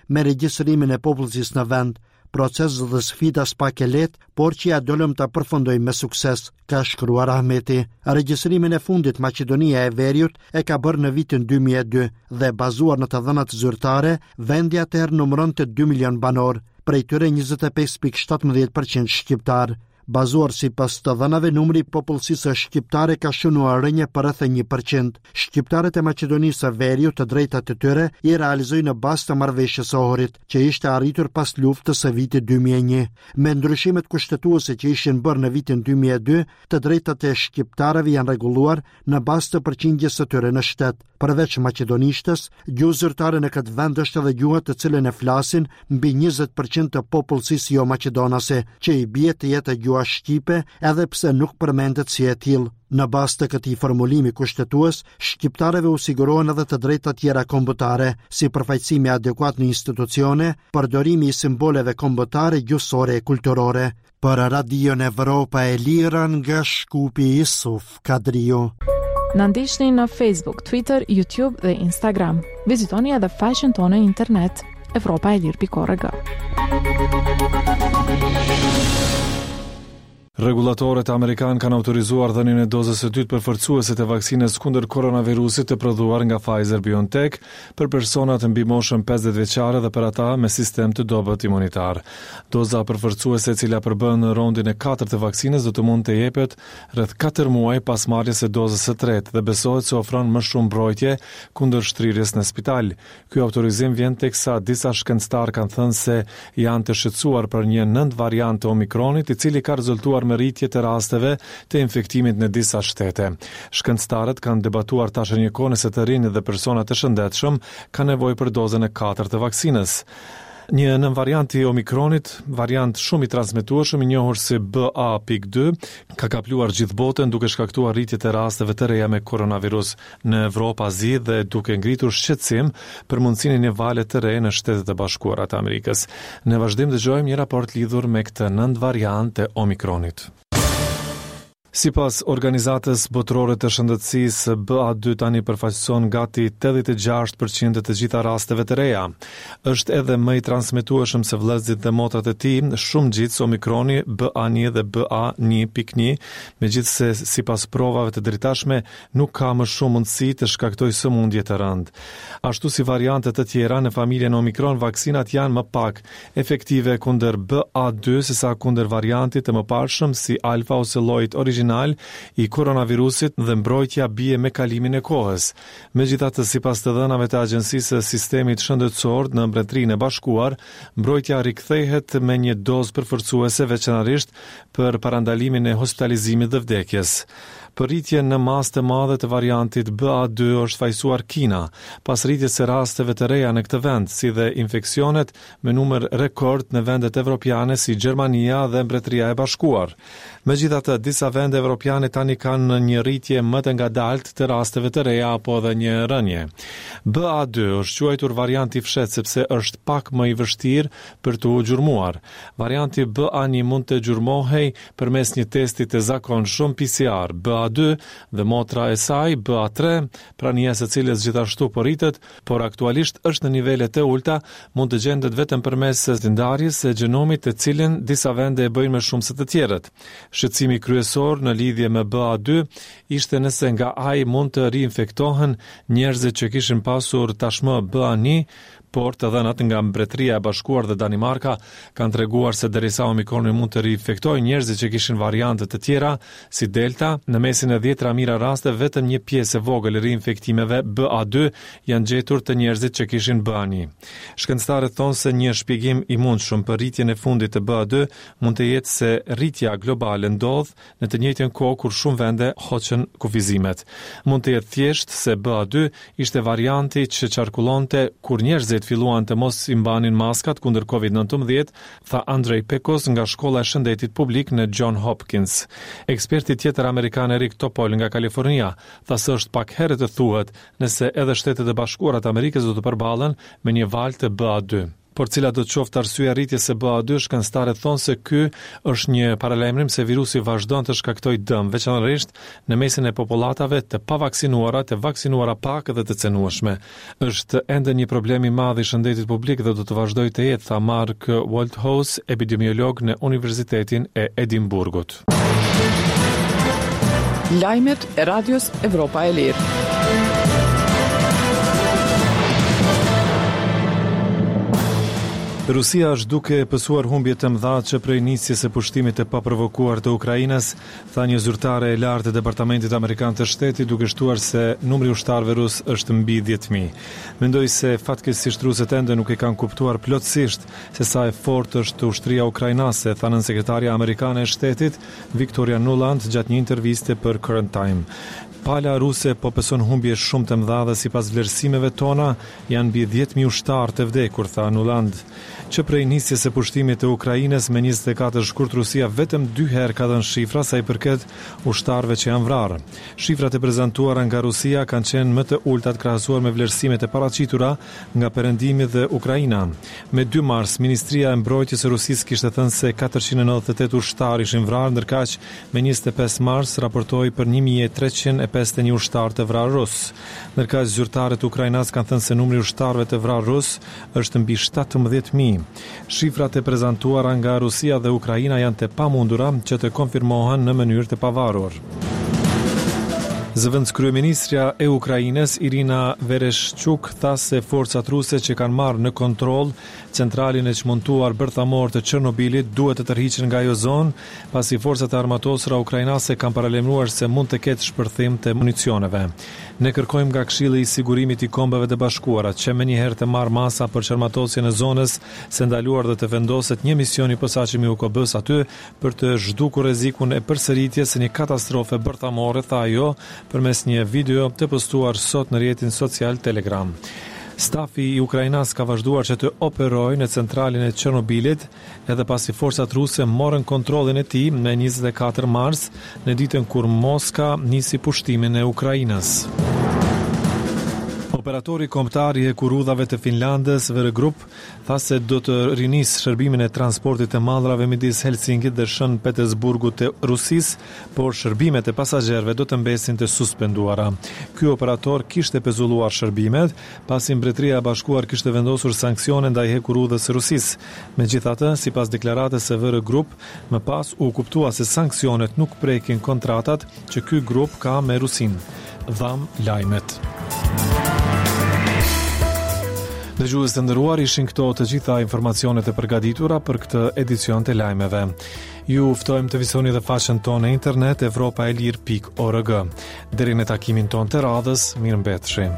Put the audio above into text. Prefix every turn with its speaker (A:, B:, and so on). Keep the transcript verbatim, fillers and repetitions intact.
A: Me regjistrimin e popullsisë në vend, proces dhe sfida s'pak e lehtë, por që ja dolëm ta përfundojmë me sukses, ka shkruar Ahmeti. Regjistrimin e fundit Maqedonia e Veriut e ka bërë në vitin dy mijë e dy dhe, bazuar në të dhënat zyrtare, vendi atëherë numëronte dy milion banor, prej tyre njëzet e pesë pikë shtatëmbëdhjetë për qind shqiptar. Bazuar sipas të dhënave, numri i popullsisë shqiptare ka shënuar rënje për rreth një për qind. Shqiptarët e Maqedonisë së Veriut të drejtat e tyre i realizojnë në bazë të marrëveshjes së Ohrit, që ishte arritur pas luftës së vitit dy mijë e një. Me ndryshimet kushtetuese që ishin bërë në vitin dy mijë e dy, të drejtat e shqiptarëve janë rregulluar në bazë të përqindjes së tyre në shtet. Përveç maqedonishtes, gjuhë zyrtare në këtë vend është edhe gjuha të cilën e flasin mbi njëzet për qind të popullsisë jo maqedonase, që i bie të jetë gjuha shqipe, edhe pse nuk përmendet si e tillë. Në bazë të këtij formulimi kushtetues, shqiptarëve u sigurohen edhe të drejta tjera kombëtare, si përfaqësimi adekuat në institucione, përdorimi i simboleve kombëtare, gjuhësore e kulturore. Për Radion Evropa e Lirë nga Shkupi, Isuf Kadriu.
B: Na ndiqni në Facebook, Twitter, YouTube dhe Instagram. Vizitoni edhe faqen tonë në internet evropaelire pikë org.
C: Rregullatorët amerikan kanë autorizuar dhënien e dozës së dytë përforcuese të vaksinës kundër koronavirusit të prodhuar nga Pfizer BioNTech për personat mbi moshën pesëdhjetë vjeçare dhe për ata me sistem të dobët imunitar. Doza përforcuese, e cila përbën rondin e katërt të vaksinës, do të mund të jepet rreth katër muaj pas marrjes së dozës së tretë dhe besohet se ofron më shumë mbrojtje kundër shtrirjes në spital. Ky autorizim vjen teksa disa shkencëtar kanë thënë se janë të shqetësuar për një nënvariant të Omikronit, i cili ka rezultuar me rritje të rasteve të infektimit në disa shtete. Shkencëtarët kanë debatuar tash e një kohë nëse të rinj dhe personat e shëndetshëm kanë nevojë për dozën e katërt të vaksinës. Një nënvariant i Omikronit, variant shumë i transmetueshëm i njohur si B A pikë dy, ka kapluar gjithë botën, duke shkaktuar rritje të rasteve të reja me koronavirus në Evropë, Azi dhe duke ngritur shqetësim për mundësinë e një vale të re në Shtetet e Bashkuara të Amerikës. Në vazhdim dëgjojmë një raport lidhur me këtë nënvariant të Omikronit. Sipas Organizatës Botërore të Shëndetësisë, B A dy tani përfaqëson gati tetëdhjetë e gjashtë për qind të të gjitha rasteve të reja. Është edhe më i transmetueshëm se vëllezërit dhe motrat e tij, shumë ngjitës Omikroni B A një dhe B A një pikë një, megjithëse sipas provave të deritashme nuk ka më shumë mundësi të shkaktojë sëmundje të rëndë. Ashtu si variante të tjera në familjen Omikron, vaksinat janë më pak efektive kundër B A dy se sa kundër variantit të mëparshëm si alfa ose llojit origjinal i koronavirusit dhe mbrojtja bie me kalimin e kohës. Megjithatë, sipas të dhënave të Agjencisë së Sistemit Shëndetësor në Mbretërinë e Bashkuar, mbrojtja rikthehet me një dozë përforcuese, veçanërisht për parandalimin e hospitalizimit dhe vdekjes. Për rritjen në masë të madhe të variantit B A dy është fajsuar Kina, pas rritjes së rasteve të reja në këtë vend, si dhe infeksionet me numër rekord në vendet evropiane si Gjermania dhe Mbretëria e Bashkuar. Megjithatë, disa vende evropiane tani kanë një rritje më të ngadaltë të rasteve të reja apo edhe një rënje. B A dy është quajtur variant i fshehtë sepse është pak më i vështirë për të gjurmuar. Varianti B A një mund të gjurmohej përmes një testi të zakonshëm P C R. B A dy dhe motra e saj B A tre, prania e së cilës gjithashtu po rritet, por aktualisht është në nivele të ulta, mund të gjendet vetëm përmes ndarjes së gjenomit, të cilën disa vende e bëjnë më shumë se të tjerët. Shqetësimi kryesor në lidhje me B A dy ishte nëse nga ai mund të riinfektohen njerëzit që kishin pasur tashmë B A një, por të dhënat nga Mbretëria e Bashkuar dhe Danimarka kanë treguar se derisa Omikroni mund të riinfektojë njerëzit që kishin variante të tjera si Delta, në mesin e dhjetëra mijëra raste vetëm një pjesë e vogël e riinfektimeve B A dy janë gjetur të njerëzit që kishin B A një. Shkencëtarët thonë se një shpjegim i mundshëm për rritjen e fundit të B A dy mund të jetë se rritja globale ndodh në të njëjtën kohë kur shumë vende hoqën kufizimet. Mund të jetë thjesht se B A dy ishte varianti që qarkullonte kur njerëzit filluan të mos i mbanin maskat kundër Covid nëntëmbëdhjetë, tha Andrej Pekos nga Shkolla e Shëndetit Publik në John Hopkins. Eksperti tjetër amerikan Eric Topol nga Kalifornia tha se është pak herët të thuhet nëse edhe Shtetet e Bashkuara të Amerikës do të përballen me një valë të B A dy. Por cila do të qoftë arsyeja e rritjes së B A dy, shkencëtarët thonë se ky është një paralajmërim se virusi vazhdon të shkaktojë dëm, veçanërisht në mesin e popullatave të pavaksinuara, të vaksinuara pak dhe të cenueshme. Është ende një problem i madh i shëndetit publik dhe do të vazhdojë të jetë, tha Mark Woldhouse, epidemiolog në Universitetin e Edinburghut.
D: Lajmet e Radios Evropa e Lirë.
C: Rusia është duke pësuar humbje të mëdha që prej nisjes së pushtimit të paprovokuar të Ukrainës, tha një zyrtare e lartë e Departamentit Amerikan të Shtetit, duke shtuar se numri i ushtarëve rus është mbi dhjetë mijë. Mendoj se fatkeqësisht rusët ende nuk e kanë kuptuar plotësisht se sa e fortë është ushtria ukrainase, tha nënsekretarja amerikane e shtetit Victoria Nuland gjatë një interviste për Current Time. Pala ruse po pëson humbje shumë të mëdha dhe sipas vlerësimeve tona janë mbi dhjetë mijë ushtarë të vdekur, tha Nuland. Që prej nisjes së pushtimit të Ukrainës me njëzet e katër shkurt, Rusia vetëm dy herë ka dhënë shifra sa i përket ushtarëve që janë vrarë. Shifrat e prezantuara nga Rusia kanë qenë më të ultat krahasuar me vlerësimet e paraqitura nga Perëndimi dhe Ukraina. Me dy mars, Ministria e Mbrojtjes së Rusisë kishte thënë se katërqind e nëntëdhjetë e tetë ushtarë ishin vrarë, ndërkaq me njëzet e pesë mars raportoi për një mijë e treqind e pesëdhjetë e një ushtarë të vrarë rus. Ndërkaq zyrtarët ukrainas kanë thënë se numri i ushtarëve të vrarë rus është mbi shtatëmbëdhjetë mijë. Shifrat e prezantuara nga Rusia dhe Ukraina janë të pamundura që të konfirmohen në mënyrë të pavarur. Zëvendëskryeministrja e Ukrainës Irina Vereshchuk tha se forcat ruse që kanë marrë në kontroll centralin e çmontuar bërthamor të Çernobilit duhet të tërhiqen nga ajo zonë, pasi forcat e armatosura ukrainase kanë paralajmëruar se mund të ketë shpërthim të municioneve. Ne kërkojmë nga Këshilli i Sigurimit i Kombeve të Bashkuara që menjëherë të marrë masa për çarmatosjen e zonës së ndaluar dhe të vendoset një mision i posaçëm i U K B-s aty për të zhdukur rrezikun e përsëritjes së një katastrofe bërthamore, tha ajo përmes një video të postuar sot në rrjetin social Telegram. Stafi i Ukrainas ka vazhduar që të operojë në centralin e Çernobilit edhe pasi forcat ruse morën kontrollin e tij me njëzet e katër mars, në ditën kur Moska nisi pushtimin e Ukrainës. Operatori kombëtar i hekurudhave të Finlandës, V R Group, tha se do të rinisë shërbimin e transportit të mallrave midis Helsinkit dhe Shën Petersburgut të Rusisë, por shërbimet e pasagjerëve do të mbesin të suspenduara. Ky operator kishte pezulluar shërbimet, pasi Mbretëria e Bashkuar kishte vendosur sanksione ndaj hekurudhës së Rusisë. Megjithatë, sipas deklaratës së V R Group, më pas u kuptua se sanksionet nuk prekin kontratat që ky grup ka me Rusinë. Dham lajmet. Dëgjues të nderuar, ishin këto të gjitha informacionet e përgatitura për këtë edicion të lajmeve. Ju ftojmë të vizitoni dhe faqen tonë në internet evropa e lirë pikë org. Deri në takimin tonë të radhës, mirëmbetshi.